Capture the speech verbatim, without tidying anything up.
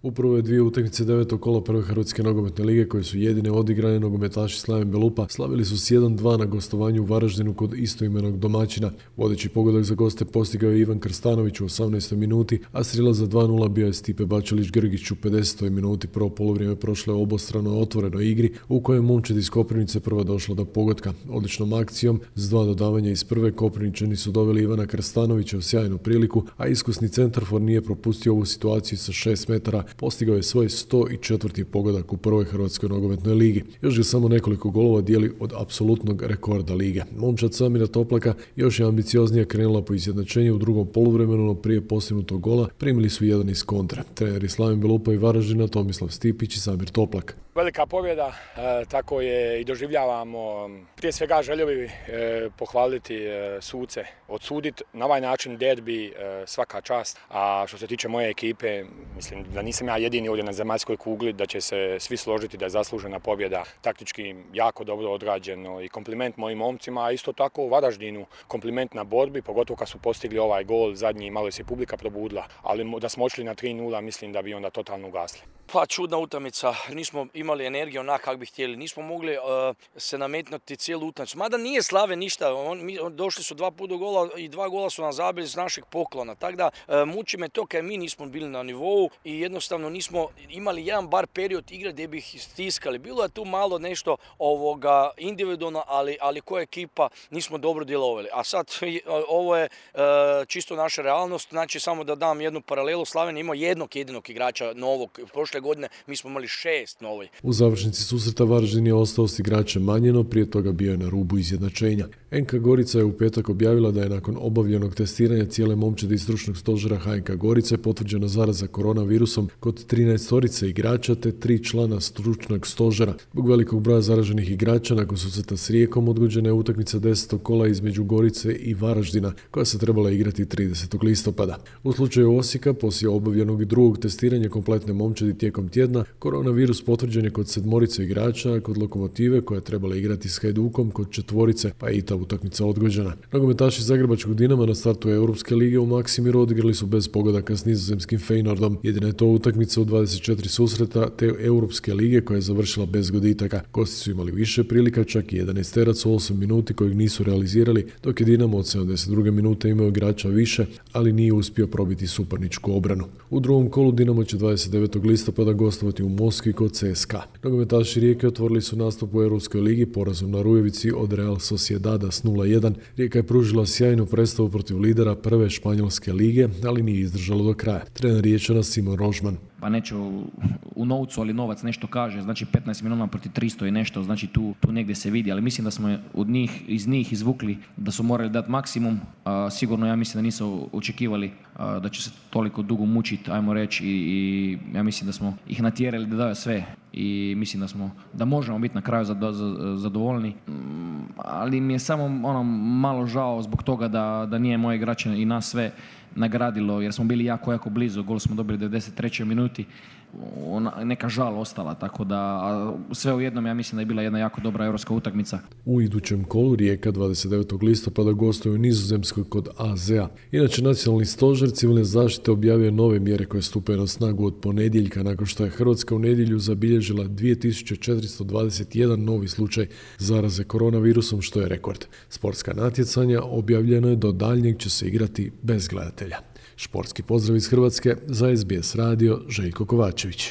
U prve dvije utakmice devetog kola prve Hrvatske nogometne lige, koje su jedine odigrane, nogometaši Slaven Belupa slavili su s jedan dva na gostovanju u Varaždinu kod istoimenog domaćina. Vodeći pogodak za goste postigao je Ivan Krstanović u osamnaestoj minuti, a strela za dva nula bio je Stipe Bačelić-Grgić u pedesetoj minuti. Prvo poluvrijeme prošlo je obostrano otvorenoj igri, u kojem momčad iz Koprivnice prva došla do pogotka. Odličnom akcijom s dva dodavanja iz prve Koprivničani su doveli Ivana Krstanovića u sjajnu priliku, a iskusni centarfor nije propustio ovu situaciju sa šest metara. Postigao je svoj sto četvrti pogodak u prvoj Hrvatskoj nogometnoj ligi. Još ga samo nekoliko golova dijeli od apsolutnog rekorda lige. Momčad Samira Toplaka još je ambicioznije krenula po izjednačenju u drugom poluvremenu, no prije postignutog gola primili su jedan iz kontra. Treneri Slaven Belupa i Varaždina Tomislav Stipić i Samir Toplak. Velika pobjeda, e, tako je i doživljavamo. Prije svega želio bih e, pohvaliti e, suce, odsuditi na ovaj način derbi, e, svaka čast. A što se tiče moje ekipe, mislim da nisam ja jedini ovdje na zemaljskoj kugli, da će se svi složiti da je zaslužena pobjeda, taktički jako dobro odrađeno i kompliment mojim momcima, a isto tako u Varaždinu kompliment na borbi, pogotovo kad su postigli ovaj gol zadnji, malo se publika probudila, ali da smo odšli na tri nula, mislim da bi onda totalno ugasli. Pa čudna utakmica, nismo imali energiju onak kako bi htjeli, nismo mogli uh, se nametnuti cijelu utakmicu. Mada nije Slave ništa, on, mi, on, došli su dva puta do gola i dva gola su nam zabili iz našeg poklona. Tako da uh, muči me to kad mi nismo bili na nivou i jednostavno nismo imali jedan bar period igre gdje bi ih stiskali. Bilo je tu malo nešto ovoga individualno, ali, ali koja ekipa nismo dobro djelovali. A sad ovo je uh, čisto naša realnost, znači samo da dam jednu paralelu, Slaven je imao jednog jedinog igrača novog. Prošle godine mi smo imali šest novi. U završnici susreta Varaždin je ostao s igračem manje, no prije toga bio je na rubu izjednačenja. en ka Gorica je u petak objavila da je nakon obavljenog testiranja cijele momčadi iz stručnog stožera ha en ka Gorice potvrđena zaraza koronavirusom kod trinaestorice igrača te tri člana stručnog stožera. Zbog velikog broja zaraženih igrača nakon susreta s Rijekom odgođena je utakmica desetog kola između Gorice i Varaždina, koja se trebala igrati tridesetog listopada. U slučaju Osijeka, poslije obavljenog drugog testiranja kompletne momčadi tijekom tjedna, koronavirus potvrđen je kod sedmorice igrača, a kod Lokomotive, koja je trebala igrati s Hajdukom, kod četvorice, pa je i ta utakmica odgođena. Nogometaši Zagrebačkog Dinama na startu Europske lige u Maksimiru odigrali su bez pogodaka s nizozemskim Feyenoordom. Jedina je to utakmica u dvadeset četiri susreta te Europske lige koja je završila bez goditaka. Gosti su imali više prilika, čak i jedanaesterac u osam minuti kojeg nisu realizirali, dok je Dinamo od sedamdeset druge minute imao igrača više, ali nije uspio probiti suparničku obranu. U drugom kolu Dinamo će dvadeset devetog listopada gostovati u Moskvi kod ce es ka. Nogometaši Rijeke otvorili su nastup u Europskoj ligi porazom na Rujevici od Real Sociedada s nula jedan. Rijeka je pružila sjajnu predstavu protiv lidera prve španjolske lige, ali nije izdržalo do kraja. Trener Riječana Simon Rožman. Pa neću u novcu, ali novac nešto kaže, znači petnaest milijuna protiv tristo i nešto, znači tu, tu negdje se vidi, ali mislim da smo od njih, iz njih izvukli da su morali dati maksimum, a, sigurno ja mislim da nisu očekivali a, da će se toliko dugo mučiti, ajmo reći, i, i ja mislim da smo ih natjerali da daju sve i mislim da smo, da možemo biti na kraju zadovoljni, ali mi je samo ono malo žao zbog toga da, da nije moje igrače i nas sve nagradilo, jer smo bili jako, jako blizu, gol smo dobili u devedeset trećoj minuti, ona, neka žal ostala, tako da sve u jednom ja mislim da je bila jedna jako dobra europska utakmica. U idućem kolu Rijeka dvadeset devetog listopada gostuje u Nizozemskoj kod a ze a. Inače, Nacionalni stožer civilne zaštite objavio nove mjere koje stupaju na snagu od ponedjeljka, nakon što je Hrvatska u nedjelju zabilježila dvije tisuće četiristo dvadeset jedan novi slučaj zaraze koronavirusom, što je rekord. Sportska natjecanja objavljeno je do daljnjeg će se igrati bez gledatelja. Športski pozdrav iz Hrvatske za es be es radio, Željko Kovačević.